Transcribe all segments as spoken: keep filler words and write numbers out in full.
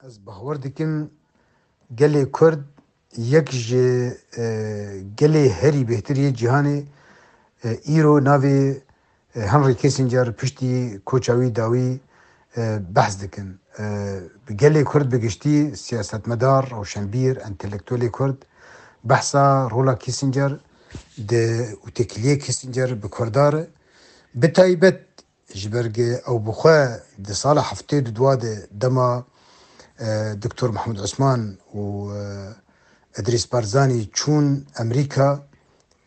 Ez bawer dikim gelê Kurd yek ji, e, gelê herî bêhtir yê cîhanê, e, îro navê, e, Henry Kissinger piştî koça wî dawî, e, behs dikin. E, bi gelê Kurd bi giştî, siyasetmedar, rewşenbîr, entelektuelê Kurd behsa rola Kissinger di û têkiliyê Kissinger bi Kurda re. Bi taybet ji ber ku ew bi xwe di sala heftê û dua de dema, e, Doktor Mehmûd Osman û, e, Idrîs Barzanî çûn Amerîka,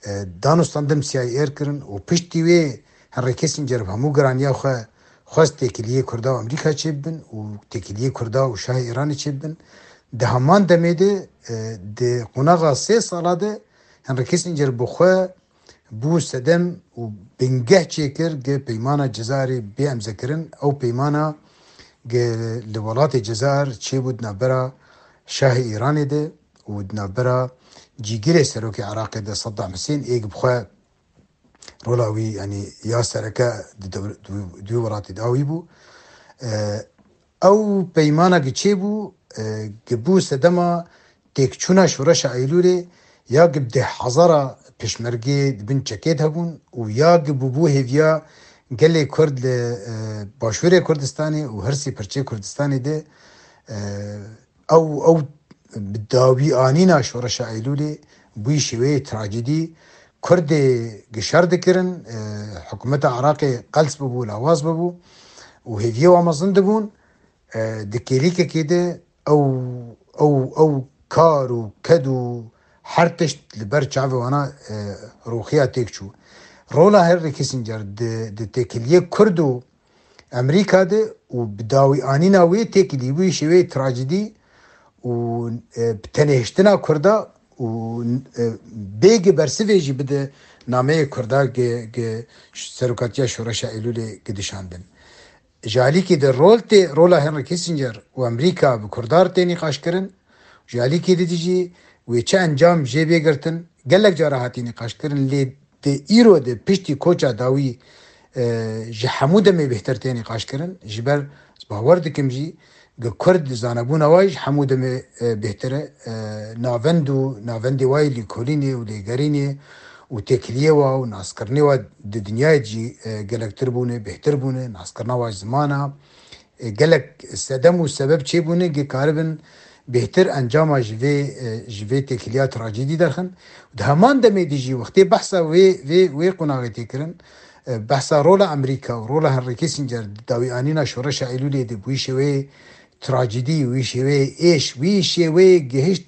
e, danûstandin C I A kirin û piştî wê Henry Kissinger bi hemû giraniya xwe xwest têkiliyê Kurda û Amerîka çêbibin û têkiliyê Kurda û Şahê Îranê çêbibin. Di heman demê de, e, di qonaxa sê sala de Henry Kissinger bi xwe bû sedem û bingeh çêkir gi peymana Cezayirê bê emzekirin. Ew peymana gi li welatê Cezayir çêbû di navbera Şahê Îranê de û di navbera cîgirê serokê Iraqê de Saddam Husên ê gi bi xwe rola wî, yanî ya sereke di dew-, di wî, di wî welatê de wî bû. E, ew peymana gi çêbû, e, gi bû sedema têkçûna şoreşa Eylûlê, ya gi bi deh hezara pêşmergê di bin çekê de hebûn û ya gi bûbû hêviya gelê Kurd li, e, Başûrê Kurdistanê û hirsî pirçê Kurdistanê de, e, ew, ew bi dawî anîna şoreşa Eylûlê bûyî şêweyê trajîdî. Kurdê gi şer dikirin, e, hikûmeta Iraqê qels bibû, lawaz bibû û hêviyê wan mezin dibûn. E, di kêlîkekê de ew, ew, ew kar û ked û her tişt li ber çavê wana, e, roxiya têk çû. Rola Henry Kissinger di, di têkiliyê Kurd û Amerîka de û bi dawî anîna wê têkilî, wî şêweyê trajîdî û, e, bi tenêhiştina Kurda û, e, bêgi bersivê jî bide nameyê Kurda gi, gi serokatiya şoreşa Eylûlê gi dişandin. Ji alîkî de rol tê, rola Henry Kissinger û Amerîka bi Kurda re tê nîqaşkirin. Ji alîkî de jî wê çi encam jê bê girtin, gelek cara hatî nîqaşkirin, lê di îro de piştî koça dawî, e, ji hemû demê bêhtir tê nîqaşkirin. Ji ber ez bawer dikim jî, gi Kurd zanebûna wa ji hemû demê, e, bêhtir e. E, navend û navendê wa yê lêkolînê û lêgerînê û têkiliyê wa û naskirinê wa di dinyayê jî, e, gelektir bûne, bêhtir bûne, naskirina wa ji zimana, e, gelek sedem û sebeb çêbûne, gi karibin bêhtir encama ji vê, e, ji vê têkiliya trajîdî derxin. Di heman demê de jî wextê behsa wê, vê, wê qonaxê tê kirin, e, behsa rola Amerîka û rola Henry Kissinger di dawî anîna şoreşa Eylûlê de bûyî şêweyê trajîdî, wî şêweyê êş, wî şêweyê gihişt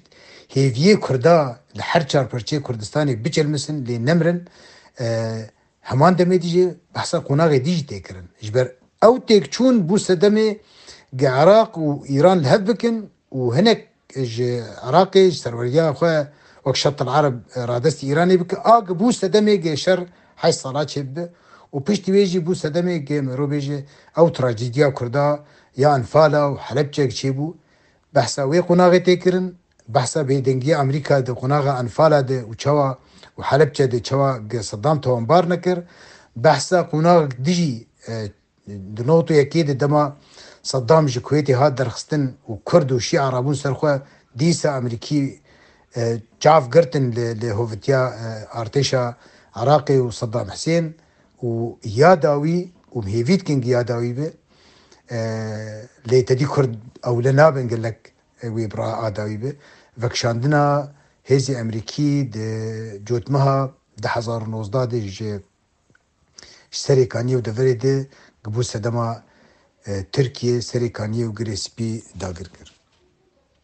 hêviyê Kurda li her çar parçeyê Kurdistanê biçilmisin, lê nemirin. E, heman demê de jî behsa qonaxê dî jî tê kirin. Ji ber ew têkçûn bû sedemê gi Iraq û Îran li hev bikin û hinek ji Iraqê ji serweriya xwe wek Şet el Ereb, e, radestî Îranê bike, a gi bû sedemê gi şer heşt sala çêbibe û piştî wê jî bû sedemê gi mirovê jî ew trajîdiya Kurda ya Enfala û Helebçek çêbû. Behsa wê qonaxê tê kirin, behsa bêdengiya Amerîka di qonaxa Enfala de û çawa û Helebçe de çawa gi Saddam tawanbar nekir, behsa qonax dijî, e, di not û yekê de dema Saddam ji Kuwêtê hat derxistin û Kurd û Şîa rabûn ser xwe, dîsa Amerîkî, e, çav girtin li, li hovitiya, e, artêşa Iraqê û Saddam Husên û ya dawî û hêvî dikin ki ya dawî be, e, lê tedî Kurd ewle nabin gelek, e, wê bi raa dawî be. Vekişandina hêzê Amerîkî di cotmeha du hezar û nozdeh de ji ji Serê Kaniyê û deverê de bû sedema, e, Tirkiye Serê Kaniyê û Girê Spî dagir kir.